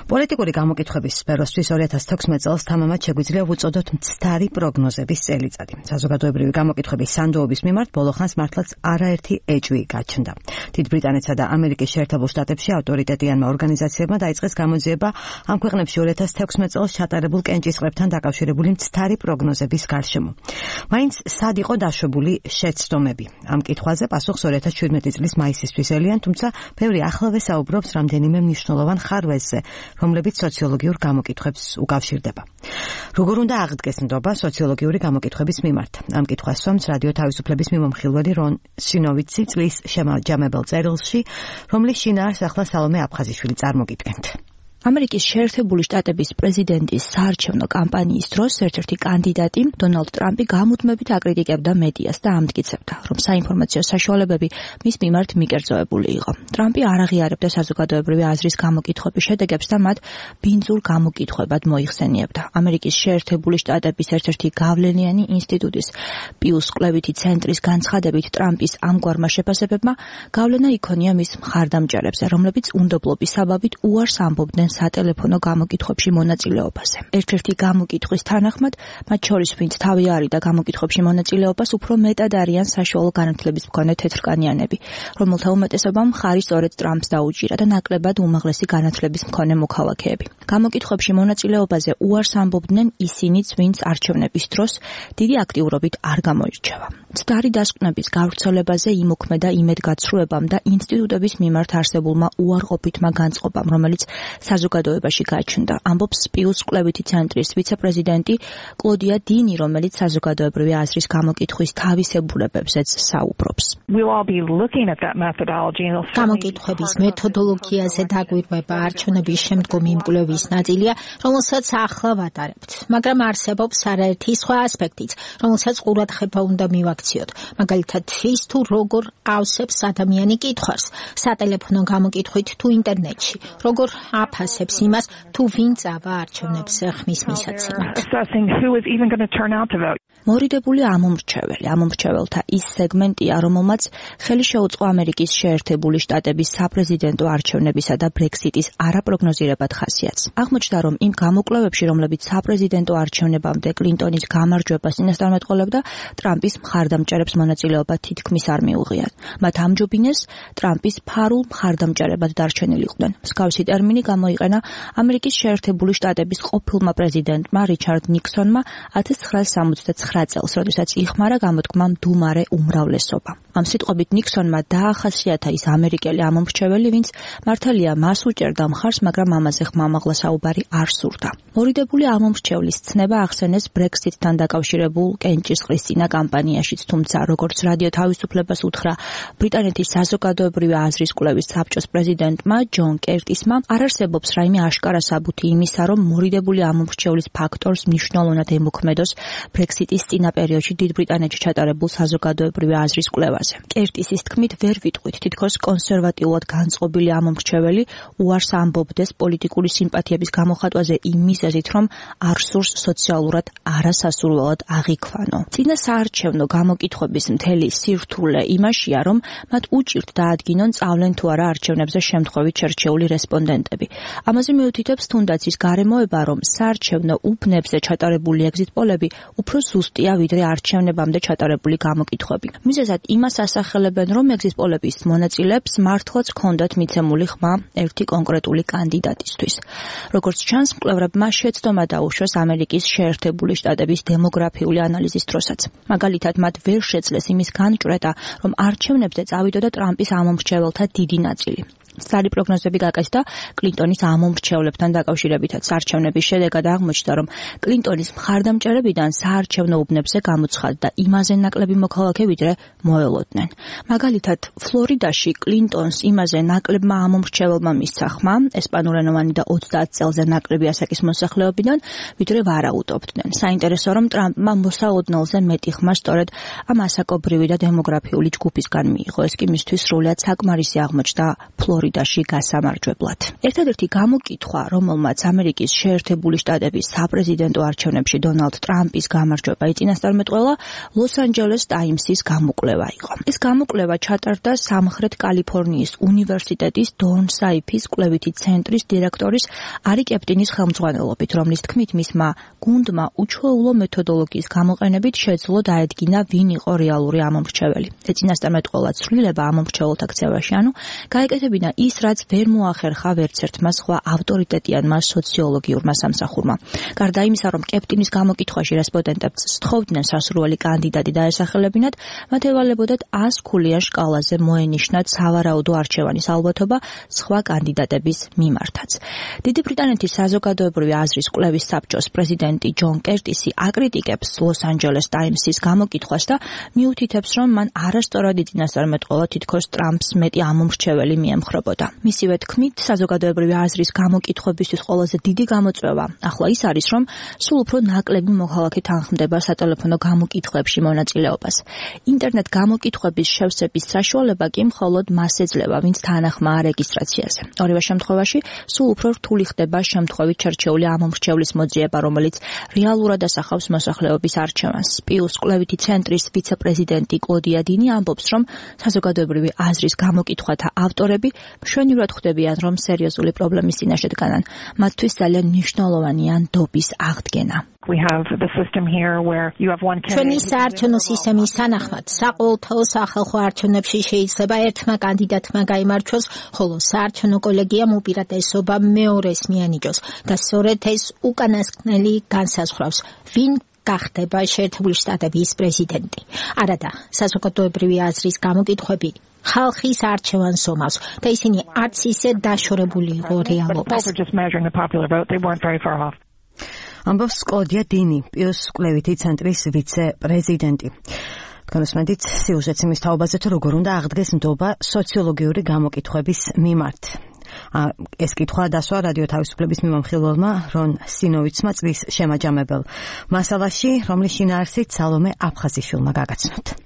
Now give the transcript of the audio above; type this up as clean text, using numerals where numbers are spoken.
პოლიტიკური გამოკითხვების სფეროსთვის 2016 წელს თამამად შეგვიძლია ვუწოდოთ მცდარი პროგნოზების წელიწადი. საზოგადოებრივი გამოკითხვების სანდოობის მიმართ ბოლოხანს მართლაც არაერთი ეჭვი გაჩნდა. დიდ ბრიტანეთსა და ამერიკის შეერთებულ შტატებში ავტორიტეტიანმა ორგანიზაციებმა დაიწყეს გამოძიება ამ ქვეყნებში 2016 წელს ჩატარებულ კენჭისყრებთან დაკავშირებული მცდარი პროგნოზების გარშემო. მაინც სად იყო დაშვებული შეცდომები? ამ კითხვაზე პასუხს 2017 წლის მაისისთვის ელიან, თუმცა ბევრი ახლავე საუბრობს რამდენიმე მნიშვნელოვან ხარვეზზე, რომლებიც სოციოლოგიურ გამოკითხვებს უკავშირდება. როგორ უნდა აღდგეს ნდობა სოციოლოგიური გამოკითხვების მიმართ? ამ კითხვას სვამს რადიო თავისუფლების მიმომხილველი რონ სინოვიცი წლის შემაჯამებელ წერილში, რომლის შინაარსს ახლა სალომე აფხაზიშვილი წარმოგიდგენთ. ამერიკის შეერთებული შტატების პრეზიდენტის საარჩევნო კამპანიის დროს ერთ-ერთი კანდიდატი დონალდ ტრამპი გამუდმებით აკრიტიკებდა მედიას და ამტკიცებდა, რომ საინფორმაციო საშუალებები მის მიმართ მიკერძოებული იყო. ტრამპი არ აღიარებდა საზოგადოებრივი აზრის გამოკითხვების შედეგებს და მათ ბინძურ გამოკითხვებად მოიხსენიებდა. ამერიკის შეერთებული შტატების ერთ-ერთი გავლენიანი ინსტიტუტის პიუს კვლევითი ცენტრის განცხადებით, ტრამპის ამგვარმა შეფასებებმა გავლენა იქონია მის მხარდამჭერებზე, რომლებიც უნდობლობის საბაბით უარს ამბობდნენ სატელეფონო გამოკითხვებში მონაწილეობაზე. ერთ-ერთი გამოკითხვის თანახმად, მათ შორის ვინც თავი არიდა გამოკითხვებში მონაწილეობას, უფრო მეტად არიან საშუალო განათლების მქონე თეთრკანიანები, რომელთა უმეტესობამ მხარი სწორედ ტრამპს დაუჭირა და ნაკლებად უმაღლესი განათლების მქონე მოქალაქეები. გამოკითხვებში მონაწილეობაზე უარს ამბობდნენ ისინიც, ვინც არჩევნების დროს დიდი აქტიურობით არ გამოირჩევა. მცდარი დასკვნების გავრცელებაზე იმოქმედა იმედგაცრუებამ და ინსტიტუტების მიმართ არსებულმა უარყოფითმა განწყობამ, რომელიც საზოგადოებაში გაჩნდა, ამბობს პიუს კვლევითი ცენტრის ვიცე-პრეზიდენტი კლოდია დინი, რომელიც საზოგადოებრივი აზრის გამოკითხვის თავისებურებებზეც საუბრობს. გამოკითხვების მეთოდოლოგიაზე დაგვირგვება არჩევნების შემდგომი მკვლევის ნაწილია, რომელსაც ახლა ვატარებთ, მაგრამ არსებობს არაერთი სხვა ასპექტიც, რომელსაც ყურადღება უნდა მივაქციოთ. მაგალითად, ის თუ როგორ ავსებს ადამიანი კითხვას, სატელეფონო გამოკითხვით თუ ინტერნეტში, როგორ აფასებს იმას, თუ ვინ წავა არჩევნებზე ხმის მისაცემად. მორიდებული ამომრჩეველთა ის სეგმენტია, რომელმაც ხელი შეუწყო ამერიკის შეერთებული შტატების საპრეზიდენტო არჩევნებისა და ბრექსიტის არაპროგნოზირებად ხასიათს. აღმოჩნდა, რომ იმ გამოკვლევებში, რომლებიც საპრეზიდენტო არჩევნებამდე კლინტონის გამარჯვებას წინასწარმეტყველებდა, ტრამპის მხარდამჭერებს მონაწილეობა თითქმის არ მიუღიათ. მათ ამჯობინეს ტრამპის ფარულ მხარდამჭერებად დარჩენილიყვნენ. მსგავსი ტერმინი გამოიყენა ამერიკის შეერთებული შტატების ყოფილმა პრეზიდენტმა რიჩარდ ნიქსონმა 1969 წელს, როდესაც იხმარა გამოთქმა მდუმარე უმრავლესობა. ამ სიტყვებით ნიქსონმა დაახასიათა ის ამერიკელი ამომრჩეველი, ვინც მართალია მას უჭერდა მხარს, მაგრამ ამაზე ხმამაღლა საუბარი არ სურდა. მორიდებული ამომრჩევლის ცნება ახსენეს ბრექსიტთან დაკავშირებულ კენჭისყრის წინა კამპანიაშიც, თუმცა როგორც რადიო თავისუფლებას უთხრა ბრიტანეთის საზოგადოებრივი აზრის კვლევის საბჭოს პრეზიდენტმა ჯონ კერტისმა, არ არსებობს რაიმე აშკარა საბუთი იმისა, რომ მორიდებული ამომრჩევლის ფაქტორს მნიშვნელოვნად ემოქმედოს ბრექსიტის წინა პერიოდში დიდ ბრიტანეთში ჩატარებულ საზოგადოებრივი აზრის კვლევაზე. კერტისის თქმით, ვერ ვიტყვით, თითქოს კონსერვატიულად განწყობილი ამომრჩეველი უარს ამბობდეს პოლიტიკური სიმპათიების გამოხატვაზე იმ მიზეზით, რომ არ სურს სოციალურად არასასურველად აღიქვანო. წინა საარჩევნო გამოკითხვების მთელი სირთულე იმაშია, რომ მათ უჭირთ დაადგინონ წავლენ თუ არა არჩევნებზე შემთხვევით შერჩეული რესპონდენტები. ამაზე მიუთითებს თუნდაც ის გარემოება, რომ საარჩევნო უბნებზე ჩატარებული ეგზიტ პოლები უფრო ზუსტია, ვიდრე არჩევნებამდე ჩატარებული გამოკითხვები. მიზეზად იმას ასახელებენ, რომ ეგზიტ პოლების მონაწილეებს მართლაც ჰქონდათ მიცემული ხმა ერთი კონკრეტული კანდიდატისთვის. როგორც ჩანს, მკვლევრებმა შეცდომა დაუშვეს ამერიკის შეერთებული შტატების დემოგრაფიული ანალიზის დროსაც. მაგალითად, მათ ვერ შეძლეს იმის განჭვრეტა, რომ არჩევნებზე წავიდოდა ტრამპის ამომრჩეველთა დიდი ნაწილი. მცდარი პროგნოზები გაკეთდა კლინტონის ამომრჩევლებთან დაკავშირებითაც. არჩევნების შედეგად აღმოჩნდა, რომ კლინტონის მხარდამჭერებიდან საარჩევნო უბნებზე გამოცხადდა იმაზე ნაკლები მოქალაქე, ვიდრე მოელოდნენ. მაგალითად, ფლორიდაში კლინტონს იმაზე ნაკლებმა ამომრჩეველმა მისცა ხმა, ესპანურენოვანი და 30 წელზე ნაკლები ასაკის მოსახლეობიდან, ვიდრე ვარაუდობდნენ. საინტერესო, რომ ტრამპმა მოსაოდნელზე მეტი ხმა სწორედ ამ ასაკობრივი და დემოგრაფიული ჯგუფისგან მიიღო. ეს კი მისთვის სრულად საკმარისი აღმოჩნდა ფლორიდაში. ფლორიდაში გასამარჯვებლად. ერთადერთი გამოკითხვა, რომელმაც ამერიკის შეერთებული შტატების საპრეზიდენტო არჩევნებში დონალდ ტრამპის გამარჯვება იწინასწარმეტყველა, ლოს-ანჯელეს ტაიმსის გამოკვლევა იყო. ეს გამოკვლევა ჩატარდა სამხრეთ კალიფორნიის უნივერსიტეტის დონ საიფის კვლევითი ცენტრის დირექტორის არი კეპტინის ხელმძღვანელობით, რომლის თქმით მისმა გუნდმა უჩვეულო მეთოდოლოგიის გამოყენებით შეძლო დაედგინა, ვინ იყო რეალური ამომრჩეველი. ეწინასწარმეტყველა ცვლილება ამომრჩეველთა ქცევაში, ანუ გაეკეთებინა ის, რაც ვერ მოახერხა ვერცერთმა სხვა ავტორიტეტიანმა სოციოლოგიურმა სამსახურმა. გარდა იმისა, რომ კეპტინის გამოკითხვაში რესპონდენტებს სთხოვდნენ სასურველი კანდიდატი დაესახელებინათ, მათ ევალებოდათ 100 ქულიან შკალაზე მოენიშნათ სავარაუდო არჩევანის ალბათობა სხვა კანდიდატების მიმართაც. დიდი ბრიტანეთის საზოგადოებრივი აზრის კვლევის საბჭოს პრეზიდენტი ჯონ კერტისი აკრიტიკებს ლოს-ანჯელეს ტაიმსის გამოკითხვას და მიუთითებს, რომ მან არასწორად იწინასწარმეტყველა თითქოს ტრამპს მეტი ამომრჩეველი მიემხრობოდა. მისივე თქმით, საზოგადოებრივი აზრის გამოკითხვებისთვის ყველაზე დიდი გამოწვევა ახლა ის არის, რომ სულ უფრო ნაკლები მოქალაქე თანხმდება სატელეფონო გამოკითხვებში მონაწილეობას. ინტერნეტ გამოკითხვების შევსების საშუალება კი მხოლოდ მას ეძლევა, ვინც თანახმაა რეგისტრაციაზე. ორივე შემთხვევაში სულ უფრო რთული ხდება შემთხვევით შერჩეული ამომრჩევლის მოძიება, რომელიც რეალურად ასახავს მოსახლეობის არჩევანს. პიუს კვლევითი ცენტრის ვიცე-პრეზიდენტი კლოდია დინი ამბობს, რომ საზოგადოებრივი აზრის გამოკითხვათა ავტორები მშვენივრად ხვდებიან, რომ სერიოზული პრობლემის წინაშე დგანან. მათთვის ძალიან მნიშვნელოვანია ნდობის აღდგენა. ჩვენი საარჩევნო სისტემის თანახმად საყოველთაო სახალხო არჩევნებში შეიძლება ერთმა კანდიდატმა გაიმარჯვოს, ხოლო საარჩევნო კოლეგიამ უპირატესობა მეორეს მიანიჭოს და სწორედ ეს უკანასკნელი განსაზღვრავს, ვინ გახდება შეერთებული შტატების პრეზიდენტი. არადა, საზოგადოებრივი აზრის გამოკითხვები ხალხის არჩევანს ომავს და ისინი არც ისე დაშორებული იყო რეალობას. ამბობს კლოდია დინი, პიუს კვლევითი ცენტრის ვიცე-პრეზიდენტი. განსმენდით სიუჟეტს იმის თაობაზე, თუ როგორ უნდა აღდგეს ნდობა სოციოლოგიური გამოკითხვების მიმართ. ეს კითხვა დასვა რადიო თავისუფლების მიმამხილველმა რონ სინოვიცმა წლის შემაჯამებელ მასალაში, რომლის შინაარსით სალომე აფხაზიშვილმა გაგაცნოთ.